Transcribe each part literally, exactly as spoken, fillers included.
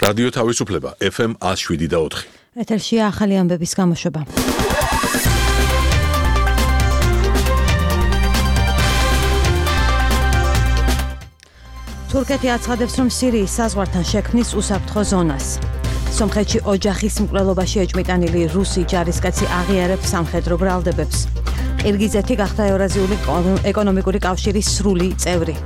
რადიო თავისუფლება ეფ ემ ათს შვიდი და ოთხი. ეთერშია ახალი ამბების გამოშვება. თურქეთი აცხადებს, რომ სირიის საზღვართან შექმნის უსაფრთხო ზონას. სომხეთში ოჯახის მკვლელობაში ეჭვმიტანილი რუსი ჯარისკაცი აღიარებს სამხედრო ბრალდებებს. ყირგიზეთი გახდა ევრაზიული ეკონომიკური კავშირის სრული წევრი.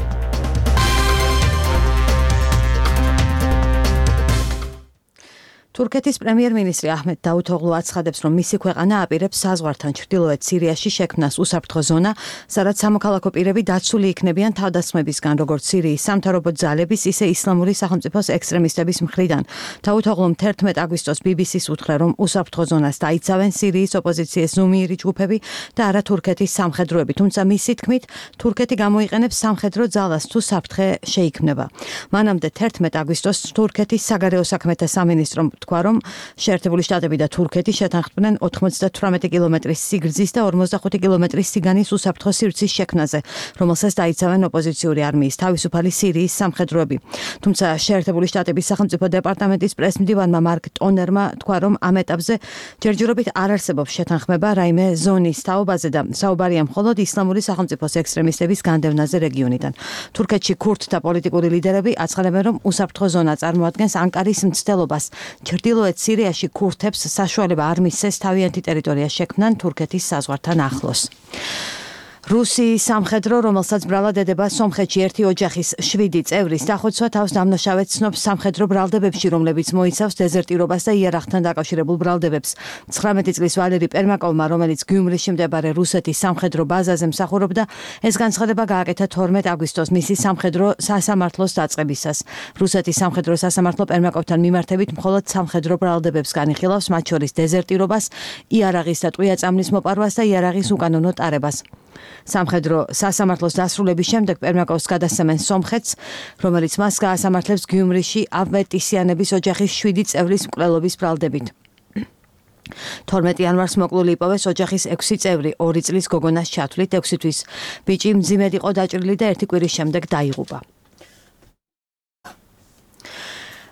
თურქეთის პრემიერ-მინისტრი აჰმედ დაუთოღლუ აცხადებს, რომ მისი ქვეყანა აპირებს საზღვართან ჩრდილოეთ სირიაში შექმნას უსაფრთხო ზონა, სადაც სამოქალაქო პირები დაცული იქნებიან თავდასხმებისგან, როგორც სირიის სამთავრობო ძალების, ისე ისლამური სახელმწიფოს ექსტრემისტების მხრიდან. დაუთოღლუმ თერთმეტ აგვისტოს ბი ბი სის უთხრა, რომ უსაფრთხო ზონას დაიცავენ სირიის ოპოზიციის ზუმიერი ჯგუფები და არა თურქეთის სამხედროები, თუმცა მისი თქმით, თურქეთი გამოიყენებს სამხედრო ძალას თუ საფრთხე შეიქმნება. მანამდე თერთმეტ აგვისტოს თურქეთის საგარეო საქმეთა სამინისტრომ თქვა, რომ შეერთებული შტატები და თურქეთი შეთანხმდნენ ოთხმოცდათვრამეტი კილომეტრის სიგრძის და ორმოცდახუთი კილომეტრის სიგანის უსაფრთხო სივრცის შექმნაზე, რომელსაც დაიცავენ ოპოზიციური არმიის თავისუფალი სირიის სამხედროები. თუმცა შეერთებული შტატების სახელმწიფო დეპარტამენტის პრესმდივანმა მარკ ტონერმა თქვა, რომ ამ ეტაპზე ჯერჯერობით არ არსებობს შეთანხმება რაიმე ზონის თაობაზე და საუბარია მხოლოდ ისლამური სახელმწიფოს ექსტრემისტების განდევნაზე რეგიონიდან. თურქეთში ქურთთა პოლიტიკური ლიდერები აცხადებენ, რომ უსაფრთხო ზონა წარმოადგენს ანკარის მცდელობას. ჩრდილოეთ სირიაში ქურთებს საშუალება არ მისცეს თავიანთი ტერიტორია შექმნან თურქეთის საზღვართან ახლოს. რუსიის სამხედრო, რომელსაც ბრალად ედება სომხეთში ერთი ოჯახის შვიდი წევრის დახოცვა თავს დამნაშავედ ცნობს სამხედრო ბრალდებებში, რომლებიც მოიცავს დეზერტირობას და იარაღთან დაკავშირებულ ბრალდებებს. ცხრამეტი წლის ვალერი პერმაკოვმა, რომელიც გიუმრიში მდებარე რუსეთის სამხედრო ბაზაზე მსახურობდა, ეს განცხადება გააკეთა თორმეტ აგვისტოს მისი სამხედრო სასამართლოს დაწყებისას. რუსეთის სამხედრო სასამართლო პერმაკოვთან მიმართებით მხოლოდ სამხედრო ბრალდებებს განიხილავს, მათ შორის დეზერტირობას, იარაღის და ტყვია-წამლის მოპარვას და იარაღის უკანონო ტარებას. სამხედრო სასამართლოს დასრულების შემდეგ პერმაკოვს გადასცემენ სომხეთს, რომელიც მას გაასამართლებს გიუმრიში ავეტისიანების ოჯახის შვიდი წევრის მკვლელობის ბრალდებით. თორმეტი იანვარს მოკლული იპოვეს ოჯახის ექვსი წევრი, ორი წლის გოგონას ჩათვლით, ექვსი თვის ბიჭი მძიმედ იყო დაჭრილი და ერთი კვირის შემდეგ დაიღუპა.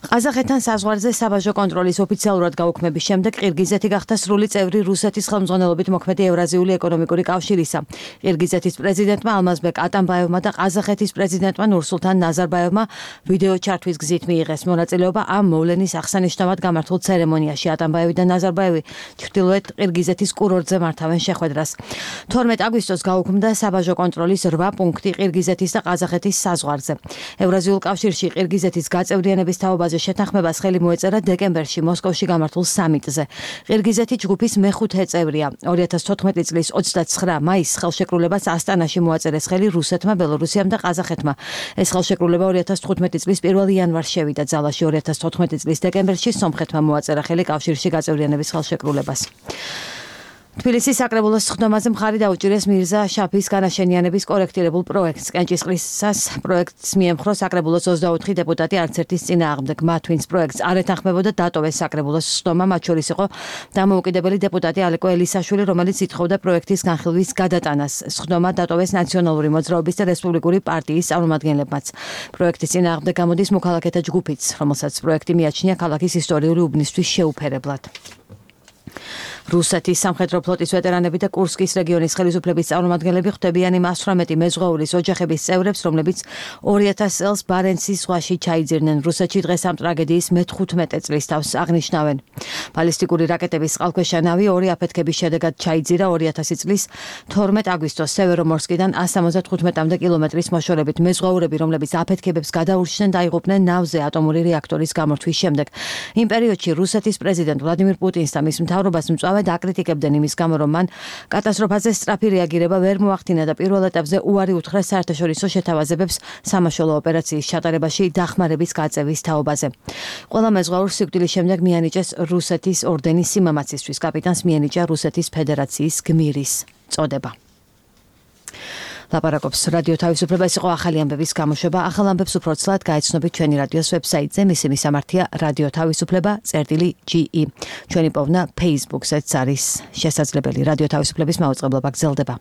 ყაზახეთთან საზღვარზე საბაჟო კონტროლის ოფიციალურად გაუქმების შემდეგ ყირგიზეთი გახდა სრული წევრი რუსეთის ხელმძღვანელობით მოქმედი ევრაზიული ეკონომიკური კავშირისა. ყირგიზეთის პრეზიდენტმა ალმაზბეკ ატამბაევმა და ყაზახეთის პრეზიდენტმა ნურსულთან ნაზარბაევმა ვიდეო ჩართვის გზით მიიღეს მონაწილეობა ამ მოვლენის აღსანიშნავად გამართულ ცერემონიაში. ატამბაევი და ნაზარბაევი ჩრდილოეთ ყირგიზეთის კურორტზე მართავენ შეხვედრას. თორმეტ აგვისტოს გაუქმდა საბაჟო კონტროლის რვა პუნქტი ყირგიზეთის და ყაზახეთის საზღვარზე. ევრაზიულ კავშირში ყირგიზეთის გაწევრიანების თაობაზე შეთანხმებას ხელი მოეწერა დეკემბერში მოსკოვში გამართულ სამიტზე. ყირგიზეთი ჯგუფის მეხუთე წევრია. ორი ათას თოთხმეტი წლის ოცდაცხრა მაისს ხელშეკრულებას ასტანაში მოაწერეს ხელი რუსეთმა, ბელორუსიამ და ყაზახეთმა. ეს ხელშეკრულება ორი ათას თხუთმეტი წლის პირველი იანვარს შევიდა ძალაში. ორი ათას თოთხმეტი წლის დეკემბერში სომხეთმა მოაწერა ხელი კავშირში გაწევრიანების ხელშეკრულებას. თბილისის საკრებულოს სხდომაზე მხარი დაუჭირეს მირზა შაფის განაშენიანების კორექტირებულ პროექტს. კენჭისყრისას პროექტს მიემხრო საკრებულოს ოცდაოთხი დეპუტატი არც ერთის წინააღმდეგ. მათ ვინც პროექტს არ ეთანხმებოდა, დატოვეს საკრებულოს სხდომა, მათ შორის იყო დამოუკიდებელი დეპუტატი ალეკო ელისაშვილი, რომელიც ითხოვდა პროექტის განხილვის გადატანას. სხდომა დატოვეს ნაციონალური მოძრაობის და რესპუბლიკური პარტიის წარმომადგენლებმაც. პროექტის წინააღმდეგ გამოდის მოქალაქეთა ჯგუფიც, რომელსაც პროექტი მიაჩნია ქალაქის ისტორიული უბნისთვის შეუფერებლად. რუსეთის სამხედრო ფლოტის ვეტერანები და კურსკის რეგიონის ხელისუფლების წარმომადგენლები ხვდებიან იმ ასვრამეტი მეზღვაურის ოჯახების წევრებს, რომლებიც ორი ათას წელს ბარენცის ზღვაში ჩაიძირნენ. რუსეთში დღეს ამ ტრაგედიის მეთხუთმეტე წლის თავს აღნიშნავენ. ბალისტიკური რაკეტების წყალქვეშა ნავი ორი აფეთქების შედეგად ჩაიძირა ორი ათასი წლის თორმეტ აგვისტოს სევერომორსკიდან ასს ათმოცდათხუთმეტამდე კილომეტრის მოშორებით. მეზღვაურები, რომლებიც აფეთქებებს გადაურჩნენ, დაიღუპნენ ნავზე ატომური რეაქტორის გამორთვის შემდეგ. იმ პერიოდში რუსეთის პრეზიდენტ ვლადიმირ პუტინს და მის მთავრობას მწვავე აკრიტიკებდნენ იმის გამო, რომ მან კატასტროფაზე სწრაფი რეაგირება ვერ მოახდინა და პირველ ეტაპზე უარი უთხრეს საერთაშორისო შეთავაზებებს სამაშველო ოპერაციის ჩატარებაში დახმარების გაწევის თაობაზე. ყველა მეზღვაურს სიკვდილის შემდეგ მიანიჭეს რუსეთის ორდენის სიმამაცისთვის. კაპიტანს მიენიჭა რუსეთის ფედერაციის გმირის წოდება. ლაპარაკობს რადიო თავისუფლება, ეს იყო ახალი ამბების გამოშვება. ახალ ამბებს უფრო ცლად გაეცნობით ჩვენი რადიოს ვებსაიტზე, მისი მისამართია რადიო თავისუფლება წერტილი ჯი ი. ჩვენი პოვნა Facebook-ზეც არის შესაძლებელი. რადიო თავისუფლების მაუწყებლობა გრძელდება.